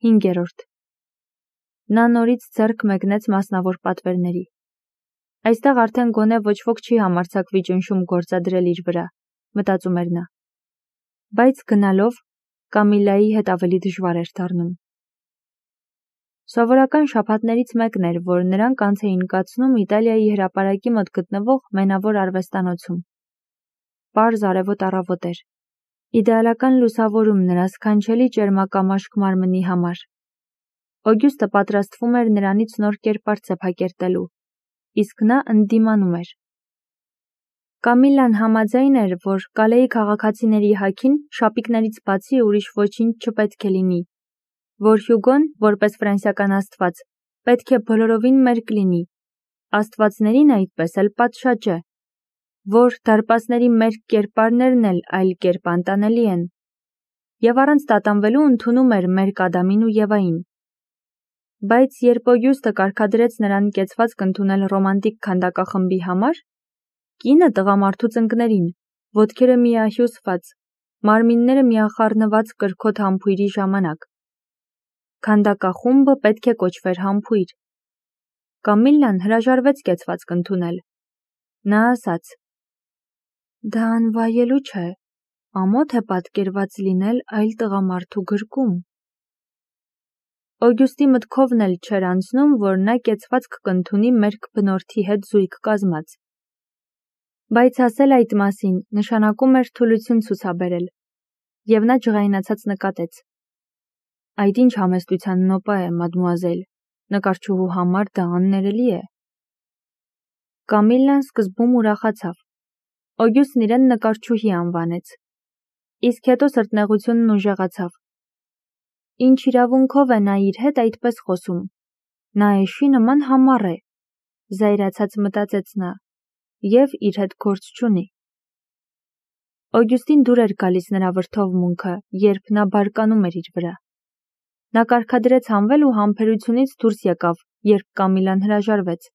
5. Նա նորից ձեռք մեկնեց մասնավոր պատվերների։ Այստեղ արդեն գոնե ոչ ոք չի համարձակվի ճնշում գործադրել իր վրա, մտածում էր նա։ Բայց գնալով Կամիլայի հետ ավելի դժվար էր դառնում։ Սովորական շաբաթներից մեկն էր, որ նրանք անց էին կացնում Իտալիայի հրապարակի մոտ գտնվող մենավոր արվեստանոցում։ Պարզ արևոտ առավոտ էր։ Իդեալական լուսավորում նրա սքանչելի ճերմակամաշկ մարմնի համար։ Օգյուստը պատրաստվում էր նրանից նոր կերպար ծեփակերտելու, իսկ նա ընդդիմանում էր։ Կամիլան համաձայն էր, որ Կալեի քաղաքացիների հագին շապիկներից բացի ուրիշ ոչինչ չպետք է լինի, որ Հյուգոն, որպես ֆրանսիական աստված, պետք է բոլորովին մերկ լինի, աստվածներին այդպես էլ պատշաճ է, որ դարպասների մերկ կերպարներն էլ այլ կերպ անտանելի են, և առանց տատանվելու ընդունում էր մերկ Ադամին ու Եվային։ Բայց երբ Օգյուստը կարգադրեց նրան կեցվածք ընդունել ռոմանտիկ քանդակախմբի համար, կինը տղամարդու ծնկներին, ոտքերը միահյուսված, մարմինները միախառնված կրքոտ համբույրի ժամանակ։ Քանդակախումբը պետք է կոչվեր համբույր։ Կամիլլան հրաժարվեց կեցվածք ընդունել։ Նա ասաց. «Դա անվայելու չէ, ամոթ է պատկերված լինել այլ տղամարդու գրկում»։ Օգյուստի մտքովն էլ չէր անցնում, որ նա կեցվածք կընդունի մերկ բնորդի հետ զույգ կազմած։ Բայց ասել այդ մասին նշանակում էր թուլություն ցուցաբերել, և նա ջղայնացած նկատեց. «Այդ ինչ համեստության նոպա է, մադմուազել, նկարչուհու համար դա աններելի է»։ Կամիլլան սկզբում ուրախացավ։ Օգյուստն իրեն նկարչուհի անվանեց, իսկ հետո սրտնեղությունն ուժեղացավ։ Ինչ իրավունքով է նա իր հետ այդպես խոսում, նա էշի նման համառ է, զայրացած մտածեց նա, և իր հետ գործ չունի։ Օգյուստին դուր էր գալիս նրա վրդովմունքը, երբ նա բարկանում էր իր վրա։ Նա կարգադրեց հանվել ու համբերությունից դուրս եկավ, երբ Կամիլան հրաժարվեց։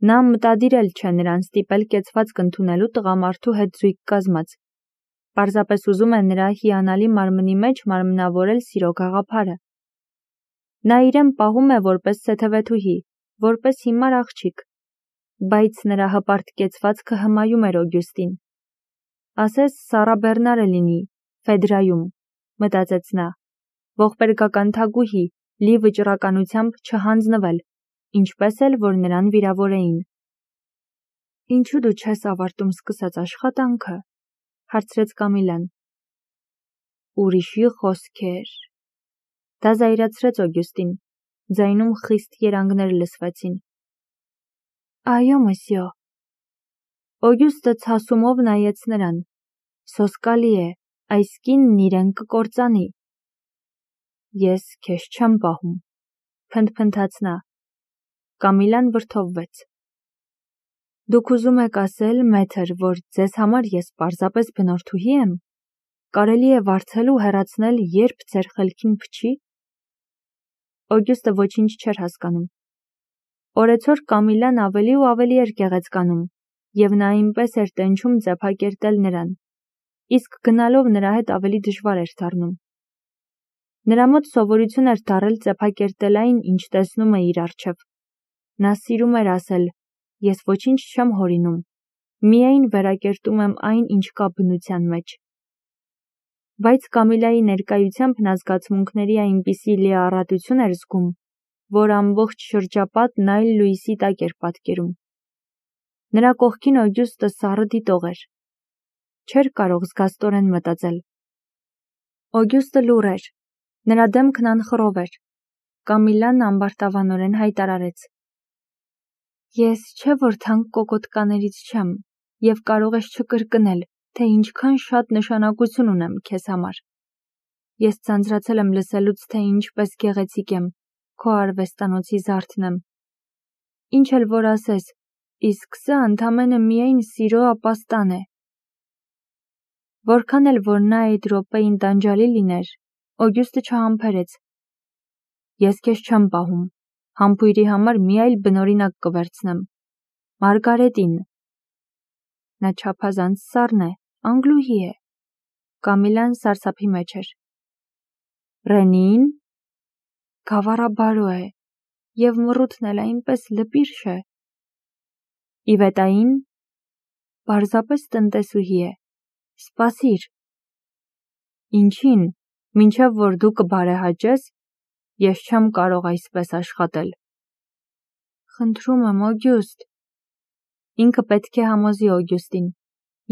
Նա մտադիր էլ չէ նրան ստիպել կեցվածք ընդունելու տղամարդու հետ զույգ կազմած, պարզապես ուզում է նրա հիանալի մարմնի մեջ մարմնավորել սիրո գաղափարը։ Նա իրեն պահում է որպես սեթևեթուհի, որպես հիմար աղջիկ, բայց նրա հպարտ կեցվածքը հմայում էր Օգյուստին։ Ասես Սառա Բեռնարը լինի, Ֆեդրայում, մտածեց նա, ողբերգական թագուհի, լի վճռականությամբ չհանձնվել, ինչպես էլ որ նրան վիրավորեին։ «Ինչու դու չես ավարտում սկսած աշխատանքը», հարցրեց Կամիլան։ «Ուրիշի խոսքեր»։ Դա զայրացրեց Օգյուստին, ձայնում խիստ երանգներ լսվեցին։ «Այո, մսյո»։ Օգյուստը ցասումով նայեց նրան։ «Սոսկալի է, այս կինն իրեն կկործանի»։ «Ես քեզ չեմ պահում», փնթփնթաց նա։ Կամիլան վրդովվեց։ «Դուք ուզում եք ասել, մեթր, որ ձեզ համար ես պարզապես բնորդուհի եմ, կարելի է վարձել ու հեռացնել, երբ ձեր խելքին փչի»։ Օգյուստը ոչինչ չէր հասկանում։ Օրեցօր Կամիլան ավելի ու ավելի էր գեղեցկանում, և նա այնպես էր տենչում ծեփակերտել նրան, իսկ գնալով նրա հետ ավելի դժվար էր դառնում։ Նրա մոտ սովորություն էր դառել ծեփակերտել այն, ինչ տեսնում է իր առջև։ Նա սիրում էր ասել. «Ես ոչինչ չեմ հորինում, միայն վերակերտում եմ այն, ինչ կա բնության մեջ»։ Բայց Կամիլայի ներկայությամբ նա զգացմունքների այնպիսի լիառատություն էր զգում, որ ամբողջ շրջապատն այլ լույսի տակ էր պատկերում։ Նրա կողքին Օգյուստը սառը դիտող էր։ Չէր կարող զգաստորեն մտածել։ Օգյուստը լուռ էր, նրա դեմքն անխռով էր։ Կամիլան ամբարտավանորեն հայտարարեց. «Ես չէ որ թանկ կոկոտկաներից չեմ, և կարող ես չկրկնել, թե ինչքան շատ նշանակություն ունեմ քեզ համար։ Ես ձանձրացել եմ լսելուց, թե ինչպես գեղեցիկ եմ, քո արվեստանոցի զարդն եմ։ Ինչ էլ որ ասես, իսկ սա ընդամենը միայն սիրո ապաստան է»։ Որքան էլ որ նա այդ րոպեին տանջալի լիներ, Օգյուստը չհամբերեց։ «Ես քեզ չեմ պահում, համբույրի համար մի այլ բնօրինակ կվերցնեմ, Մարգարետին»։ Նա չափազանց սառն է, անգլուհի է։ Կամիլան սարսափի մեջ էր։ «Ռենին»։ գավառաբարո է, և մռութն էլ այնպես լպիրշ է։ Իվետային պարզապես տնտեսուհի է, սպասիր։ Ինչին, մինչև որ դու կբարեհաճես, ես չեմ կարող այսպես աշխատել։ Խնդրում եմ, Օգյուստ։ Ինքը պետք է համոզի Օգյուստին։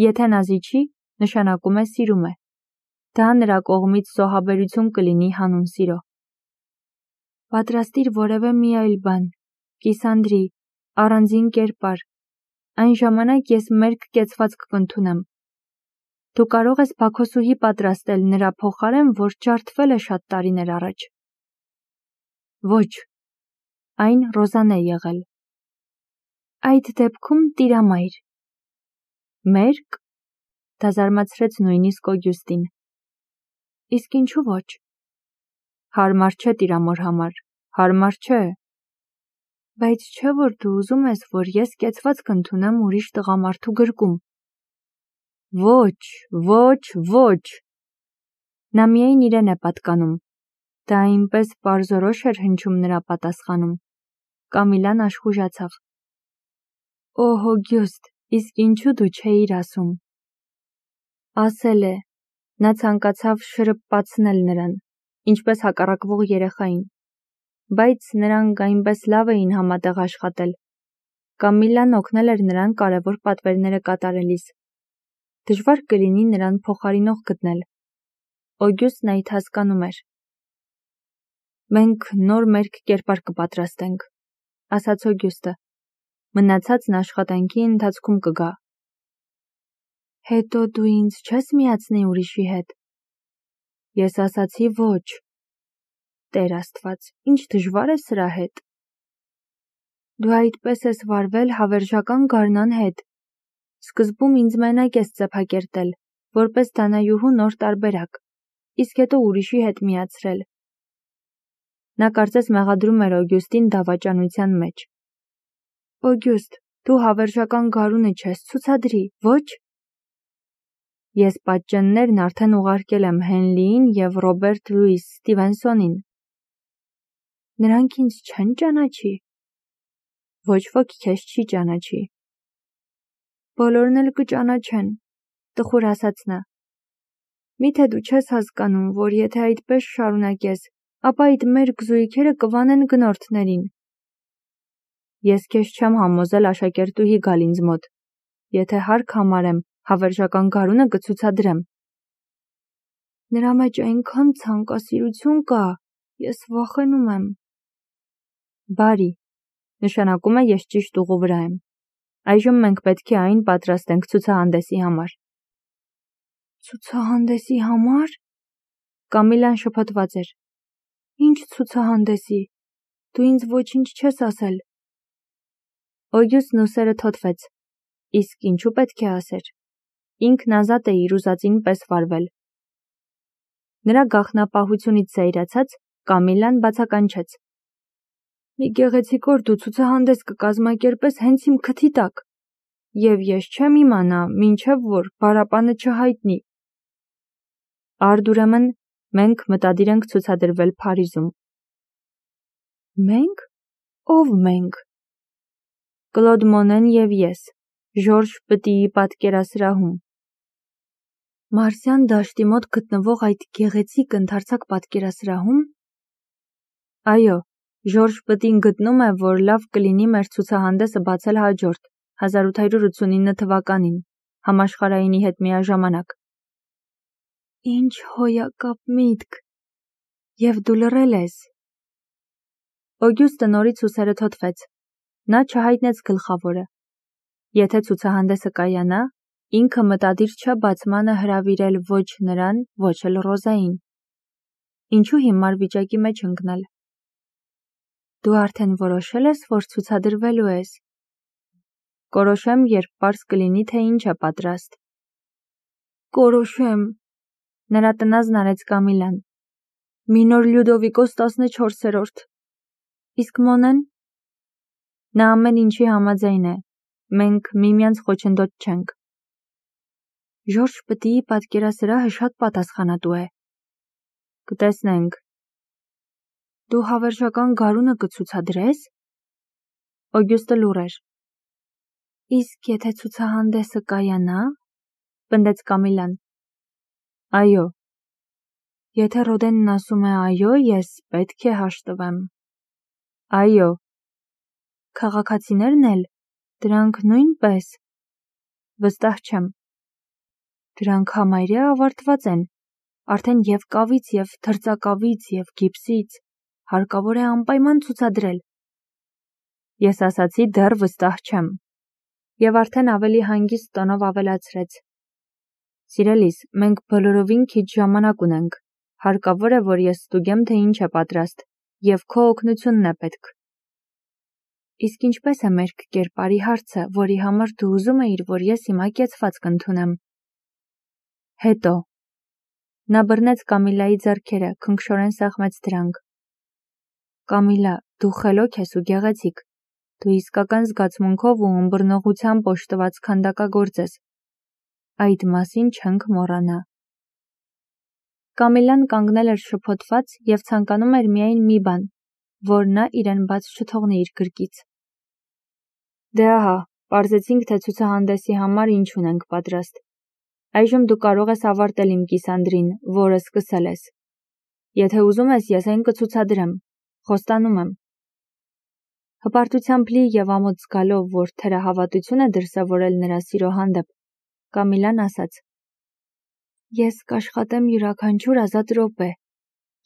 Եթե նա զիջի, նշանակում է սիրում է։ Դա նրա կողմից զոհաբերություն կլինի հանուն սիրո։ Պատրաստիր որևէ մի այլ բան, Կիսանդրի, առանձին կերպար, այն ժամանակ ես մերկ կեցվածք կընդունեմ։ Դու կարող ես Բաքոսուհի պատրաստել նրա փոխարեն, որ ջարդվել է շատ տարիներ առաջ։ Ոչ, այն Ռոզան է եղել։ Այդ դեպքում տիրամայր։ Մերկ, դա զարմացրեց նույնիսկ Օգյուստին։ Իսկ ինչու ոչ։ Հարմար չէ տիրամոր համար, հարմար չէ։ Բայց չէ որ դու ուզում ես, որ ես կեցվածք ընդունեմ ուրիշ տղամարդու գրկում։ Ոչ, ոչ, ոչ։ Նա միայն իրեն է պատկանում։ Դա այնպես պարզորոշ էր հնչում նրա պատասխանում։ Կամիլան աշխուժացավ։ Օհ, Օգյուստ, իսկ ինչու դու չէիր ասում։ Ասել է։ Նա ցանկացավ շրպպացնել նրան, ինչպես հակառակվող երեխային։ Բայց նրանք այնպես լավ էին համատեղ աշխատել։ Կամիլան օգնել էր նրան կարևոր պատվերները կատարելիս։ Դժվար կլինի նրան փոխարինող գտնել։ Օգյուստն այդ հասկանում էր։ Մենք նոր մերկ կերպար կպատրաստենք, ասաց Օգյուստը։ Մնացածն աշխատանքի ընթացքում կգա։ Հետո դու ինձ չես միացնի ուրիշի հետ։ Ես ասացի ոչ։ Տեր Աստված, ինչ դժվար է սրա հետ։ Դու այդպես ես վարվել հավերժական գարնան հետ։ Սկզբում ինձ մենակ ես ծեփակերտել, որպես դանայուհու նոր տարբերակ, իսկ հետո ուրիշի հետ միացրել։ Նա կարծես մեղադրում էր Օգյուստին դավաճանության մեջ։ Օգյուստ, դու հավերժական գարունը չես ցուցադրի, ոչ։ Ես պատճեններն արդեն ուղարկել եմ Հենլիին և Ռոբերտ Լուիս Ստիվենսոնին։ Նրանք ինձ չեն ճանաչի։ Ոչ ոք քեզ չի ճանաչի։ Բոլորն էլ կճանաչեն, տխուր ասաց նա։ Միթե դու չես հասկանում, որ եթե այդպես շարունակես, ապա այդ մերկ զույգերը կվանեն գնորդներին։ Ես քեզ չեմ համոզել աշակերտուհի գալ ինձ մոտ։ Եթե հարկ համարեմ, հավերժական գարունը կցուցադրեմ։ Նրա մեջ այնքան ցանկասիրություն կա, ես վախենում եմ։ Բարի, նշանակում է ես ճիշտ ուղու վրա եմ։ Այժմ մենք պետք է այն պատրաստենք ցուցահանդեսի համար։ Ցուցահանդեսի համար։ Կամիլան շփոթված էր։ Ինչ ցուցահանդեսի։ Դու ինձ ոչինչ չես ասել։ Օգյուստն ուսերը թոթվեց։ Իսկ ինչու պետք է ասեր։ Ինքն ազատ է իր ուզածին պես վարվել։ Նրա գաղտնապահությունից զայրացած Կամիլան բացականչեց։ Մի գեղեցիկ օր դու ցուցահանդես կկազմակերպես հենց իմ քթի տակ, և ես չեմ իմանա, մինչև որ բարապանը չհայտնի։ Արդ ուրեմն մենք մտադիր ենք ցուցադրվել Փարիզում։ Մենք։ Ով մենք։ Կլոդ Մոնեն և ես, Ժորժ Պտիի պատկերասրահում։ Մարսյան դաշտի մոտ գտնվող այդ գեղեցիկ ընդարձակ պատկերասրահում։ Այո, Ժորժ Պտին գտնում է, որ լավ կլինի մեր ցուցահանդեսը բացել հաջորդ 1889 թվականին, համաշխարհայինի հետ միաժամանակ։ Ինչ հոյակապ միտք։ Եվ դու լռել ես։ Օգյուստը նորից ուսերը թոթվեց։ Նա չհայտնեց գլխավորը։ Եթե ցուցահանդեսը կայանա, ինքը մտադիր չէ բացմանը հրավիրել ոչ նրան, ոչ էլ Ռոզային։ Ինչու հիմար վիճակի մեջ ընկնել։ Դու արդեն որոշել ես, որ ցուցադրվելու ես։ Կորոշեմ, երբ պարզ կլինի, թե ինչ է պատրաստ։ Կորոշեմ։ Նրա տնազն արեց Կամիլան։ Մինոր Լյուդովիկոս 14-րդ։ Իսկ Մոնեն։ Նա ամեն ինչի համաձայն է։ Մենք միմյանց խոչընդոտ չենք։ Ժորժ Պտիի պատկերասրահը շատ պատասխանատու է։ Կտեսնենք։ Դու հավերժական գարունը կցուցադրես։ Օգյուստը լուռ էր։ Իսկ եթե ցուցահանդեսը կայանա, պնդեց Կամիլան։ Այո։ Եթե Ռոդենն ասում է այո, ես պետք է հաշտվեմ։ Այո։ Քաղաքացիներն էլ, դրանք նույնպես։ Վստահ չեմ։ Դրանք համարյա ավարտված են, արդեն և կավից, և թրծակավից, և գիպսից, հարկավոր է անպայման ցուցադրել։ Ես ասացի դեռ վստահ չեմ։ Եվ արդեն ավելի հանգիստ տոնով ավելացրեց. Սիրելիս, մենք բոլորովին քիչ ժամանակ ունենք, հարկավոր է, որ ես ստուգեմ, թե ինչ է պատրաստ, և քո օգնությունն է պետք։ Իսկ ինչպես է մերկ կերպարի հարցը, որի համար դու ուզում էիր, որ ես հիմա կեցվածք ընդունեմ։ Հետո։ Նա բռնեց Կամիլայի ձեռքերը, քնքշորեն սեղմեց դրանք։ Կամիլա, դու խելոք ես ու գեղեցիկ։ Դու իսկական զգացմունքով ու ըմբռնողությամբ օժտված քանդակագործ ես։ Այդ մասին չենք մոռանա։ Կամիլան կանգնել էր շփոթված և ցանկանում էր միայն մի բան, որ նա իրեն բաց չթողնի իր գրկից։ Դե ահա, պարզեցինք, թե ցուցահանդեսի համար ինչ ունենք պատրաստ։ Այժմ դու կարող ես ավարտել իմ կիսանդրին, որը սկսել ես։ Եթե ուզում ես, ես այն կցուցադրեմ, խոստանում եմ։ Հպարտությամբ լի և ամոթ զգալով, որ թերահավատություն է դրսևորել նրա սիրո հանդեպ, Կամիլան ասաց. Ես կաշխատեմ յուրաքանչյուր ազատ րոպե,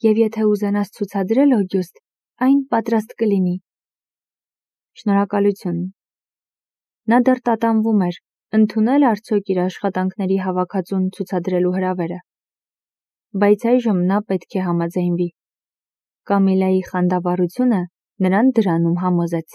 և եթե ուզենաս ցուցադրել, Օգյուստ, այն պատրաստ կլինի։ Շնորհակալություն։ Նա դեռ տատանվում էր, ընդունել արդյոք իր աշխատանքների հավաքածուն ցուցադրելու հրավերը։ Բայց այժմ նա պետք է համաձայնվի։ Կամիլայի խանդավառությունը նրան դրանում համոզեց։